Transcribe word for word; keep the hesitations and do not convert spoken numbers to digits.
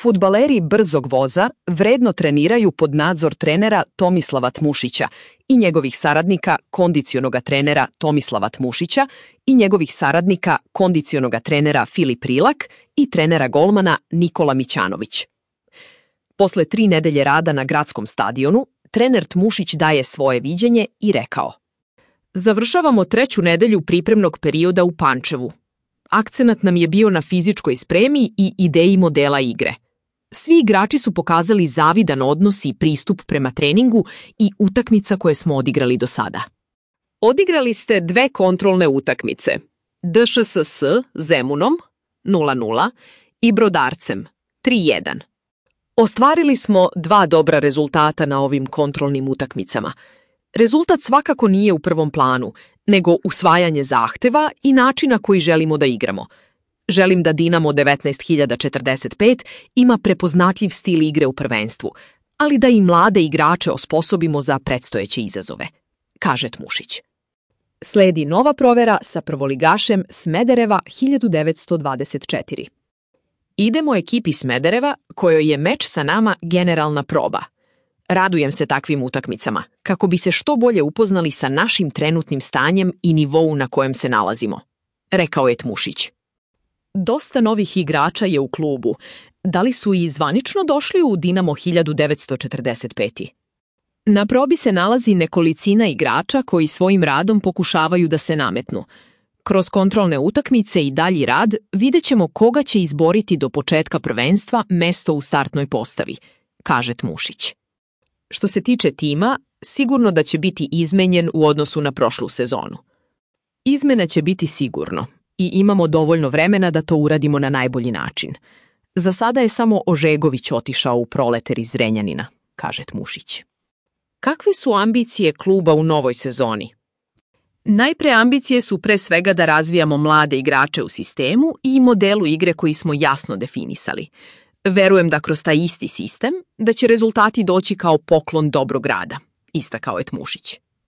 Fudbaleri brzog voza vredno treniraju pod nadzor trenera Tomislava Tmušića i njegovih saradnika kondicionoga trenera Tomislava Tmušića i njegovih saradnika kondicionoga trenera Filip Rilak i trenera golmana Nikola Mićanović. Posle tri nedelje rada na gradskom stadionu, trener Tmušić daje svoje viđenje i rekao: Završavamo treću nedelju pripremnog perioda u Pančevu. Akcenat nam je bio na fizičkoj spremi i ideji modela igre. Svi igrači su pokazali zavidan odnos i pristup prema treningu i utakmica koje smo odigrali do sada. Odigrali ste dve kontrolne utakmice, D Š S S Zemunom nula nula i Brodarcem tri jedan. Ostvarili smo dva dobra rezultata na ovim kontrolnim utakmicama. Rezultat svakako nije u prvom planu, nego usvajanje zahteva i načina koji želimo da igramo. Želim da Dinamo devetnaest hiljada četrdeset pet ima prepoznatljiv stil igre u prvenstvu, ali da i mlade igrače osposobimo za predstojeće izazove, kaže Tmušić. Sledi nova provera sa prvoligašem Smedereva hiljadu devetsto dvadeset četiri. Idemo ekipi Smedereva, kojoj je meč sa nama generalna proba. Radujem se takvim utakmicama, kako bi se što bolje upoznali sa našim trenutnim stanjem i nivou na kojem se nalazimo, rekao je Tmušić. Dosta novih igrača je u klubu. Da li su i zvanično došli u Dinamo hiljadu devetsto četrdeset pet? Na probi se nalazi nekolicina igrača koji svojim radom pokušavaju da se nametnu. Kroz kontrolne utakmice i dalji rad vidjet ćemo koga će izboriti do početka prvenstva mesto u startnoj postavi, kaže Tmušić. Što se tiče tima, sigurno da će biti izmenjen u odnosu na prošlu sezonu. Izmena će biti sigurno i imamo dovoljno vremena da to uradimo na najbolji način. Za sada je samo Ožegović otišao u Proleter iz Zrenjanina, kaže Tmušić. Kakve su ambicije kluba u novoj sezoni? Najpre ambicije su pre svega da razvijamo mlade igrače u sistemu i modelu igre koji smo jasno definisali. Verujem da kroz taj isti sistem da će rezultati doći kao poklon dobrog rada, istakao je Tmušić.